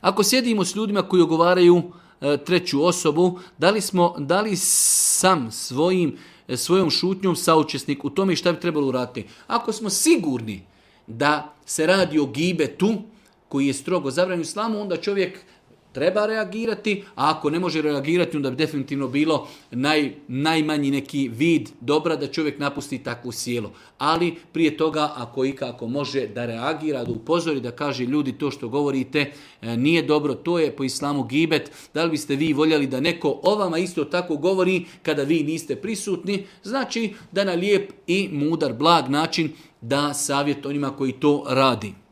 Ako sjedimo s ljudima koji ogovaraju treću osobu, da li sam svojom šutnjom saučesnik u tome šta bi trebalo uraditi? Ako smo sigurni da se radi o gibetu koji je strogo zabranjen u islamu, onda čovjek treba reagirati, a ako ne može reagirati, onda bi definitivno bilo najmanji neki vid dobra da čovjek napusti takvu sjelu. Ali prije toga, ako ikako može da reagira, da upozori, da kaže ljudi to što govorite nije dobro, to je po islamu gibet, da li biste vi voljeli da neko o vama isto tako govori kada vi niste prisutni, znači da na lijep i mudar, blag način da savjet onima koji to radi.